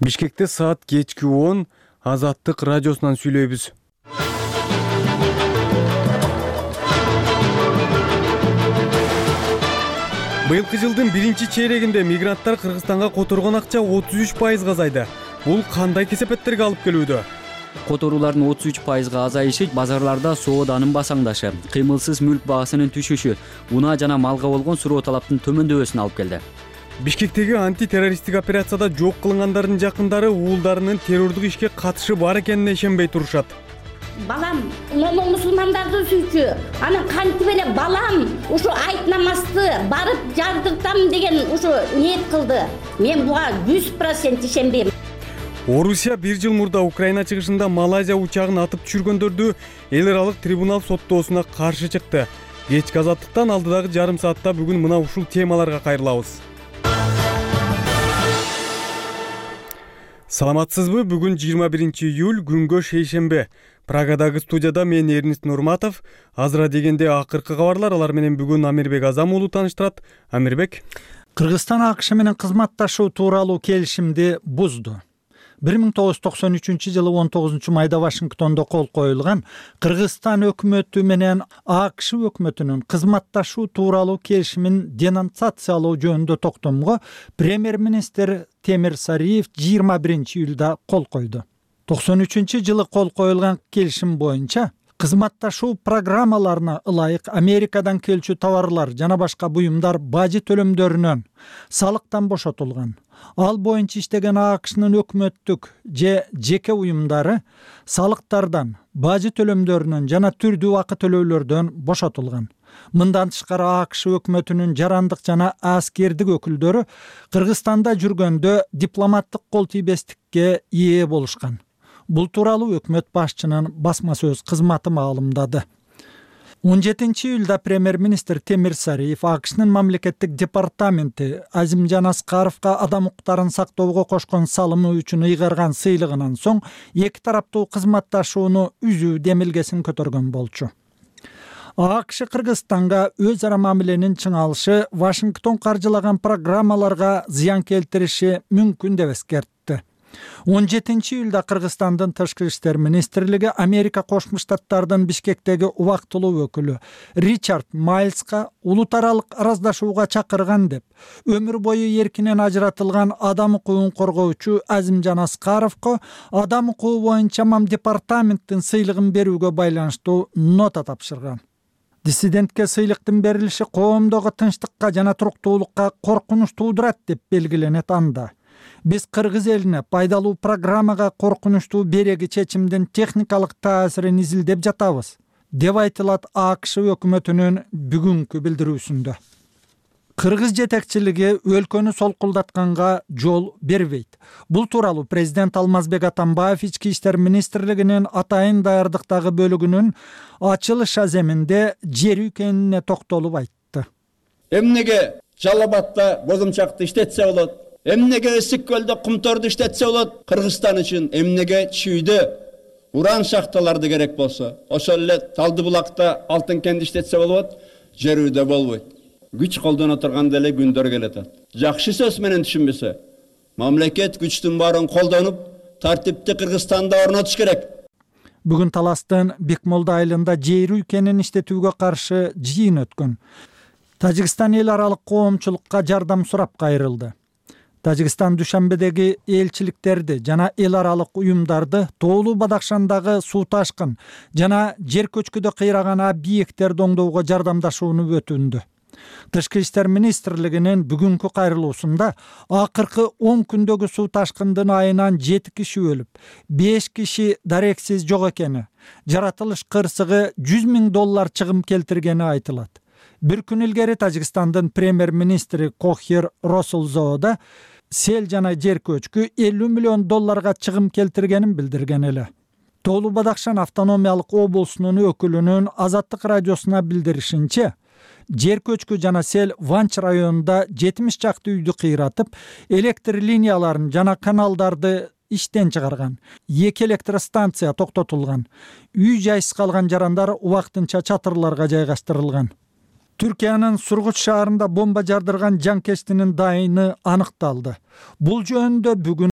Бишкекте саат кечки 10 Азаттык радиосунан сүйлөйбүз. Быйылкы жылдын биринчи чейрегинде мигранттар Кыргызстанга которгон акча 33% азайды. Бул кандай кесепеттерге алып келүүдө? Которуулардын 33% азайышы базарларда сооданын басаңдашы, кыймылсыз мүлк баасынын түшүшү, унаа жана малга болгон суроо талаптын төмөндөбөсүнө алып келди. Бишкектеги антитеррористтик операцияда жок кылынгандардын жакындары уулдарынын террордук ишке катышы бар экенине ишенбей турушат. Балам момун мусулмандарды сүйчү. Анан кантип эле балам ушу айт намазды барып жардыртам деген ушу ниет кылды. Мен буга 100% ишенбейм. Орусия 1 жыл мурда Украина чыгышында Малайзия учагын атып түшүргөндөрдү эл аралык трибунал соттоосуна каршы чыкты. Кечки Азаттыктан алдыдагы жарым саатта бүгүн мына ушул темаларга кайрылабыз. Саламатсызбы? Бүгүн 21 июль, күнгө шейшембе. Прагадагы студияда мен Эрнист Нурматов. Азыра дегенде акыркы кабарлар, алар менен бүгүн Амирбек Азам уулу тааныштырат. Амирбек. Кыргызстан АКШ менен кызматташуу тууралуу келишимди бузду. 1993 жылы 19 майда Вашингтондо кол коюлган Кыргызстан өкмөтү менен АКШ өкмөтүнүн кызматташуу тууралуу келишимин денонсациялоо жөнүндө токтомго премьер-министр Темир Сариев 21 июлда кол койду. 93 жылы кол коюлган келишим боюнча кызматташуу программаларына ылайык Америкадан келчү товарлар жана башка буюмдар бажы төлөмдөрүнөн салыктан бошотулган. Ал боюнча иштеген АКШнын өкмөттүк же жеке уюмдары салыктардан, бажы төлөмдөрүнөн жана түрдүү акы төлөөлөрдөн бошотулган. Мындан тышкары АКШ өкмөтүнүн жарандык жана аскердик өкүлдөрү Кыргызстанда жүргөндө дипломаттык кол тийбестикке ээ болушкан. Бул тууралуу өкмөт башчынын басма сөз кызматы маалымдады. 17 июлда премьер-министр Темир Сариев АКШнын мамлекеттик департаменти Азимжан Аскаровго адам укуктарын сактоого кошкон салымы үчүн ыйгарган сыйлыгынан соң эки тараптуу кызматташууну үзүү демилгесин көтөргөн болчу. АКШ Кыргызстанга өз ара мамиленин чыңалышы Вашингтон каржылаган программаларга зыян келтириши мүмкүн деп эскертти. 17 июлда Кыргызстандын Тышкы иштер министрлиги Америка Кошмо Штаттардын Бишкектеги убактылуу өкүлү Ричард Майлска улут аралык араздашууга чакырган деп, өмүр бою эркинен ажыратылган адам укугун коргоочу Азимжан Аскаровго адам укугу боюнча департаменттин сыйлыгын берүүгө байланыштуу нота тапшырган. Диссидентке сыйлыктын берилиши коомдогу тынчтыкка жана туруктуулукка коркунуч туудурат деп белгиленет анда. Биз кыргыз элине пайдалуу программага коркунучтуу береги чечимдин техникалык таасирин изилдеп жатабыз, деп айтылат АКШ өкмөтүнүн бүгүнкү билдирүүсүндө. Кыргыз жетекчилиги өлкөнү солкулдатканга жол бербейт. Бул тууралуу президент Алмазбек Атамбаев Ички иштер министрлигинин атайын даярдыктагы бөлүгүнүн ачылыш аземинде жер экенине токтолуп айтты. Эмнеге Жалал Абадта бозумчакты иштетсе болот? Эмнеге Ысык көлдө кумторду иштетсе болот? Кыргызстан үчүн эмнеге Чүйдө уран шахталарды керек болсо, ошол эле Талды булакта алтын кенди иштетсе болот, жерүүдө болбойт. Күч колдоно турганда эле күндөр келет. Жакшы сөз менен түшүнбөсө, мамлекет күчтүн баарын колдонуп, тартипти Кыргызстанда орнотуш керек. Бүгүн Таластын Бекмолда айылында жер үйкенин иштетүүгө каршы жыйын өткөн. Тажикстан эл аралык коомчулукка жардам сурап кайрылды. Тажикстан Душанбедеги элчиликтерди жана эл аралык уюмдарды Тоолуу Бадакшандагы суу ташкын жана жер көчкүдө кыйраган объекттерди оңдоого жардамдашууну өтүндү. Тышкы иштер министрлигинин бүгүнкү кайрылуусунда акыркы 10 күндөгү суу ташкындын айынан 7 киши өлүп, 5 киши дарексиз жок экени, жаратылыш кырсыгы $100,000 чыгым келтиргени айтылат. Bir күн илгери Тажикстандын премьер-министри Кохир Росулзода сел жана жер көчкү $50 миллион чыгым келтиргенин билдирген эле. Тоолуу Бадакшан автономиялык облусунун өкүлүнүн Азаттык радиосуна билдиришинче, жер көчкү жана сел Ванч районунда 70 чакты үйдү кыйратып, электр линияларын жана каналдарды иштен чыгарган. 2 электростанция токтотулган. Үй жайсыз калган жарандар убактынча чатырларга жайгаштырылган. Түркиянын Сургут шаарында бомба жардырган жанкечтинин дайыны аныкталды. Бул жөнүндө бүгүн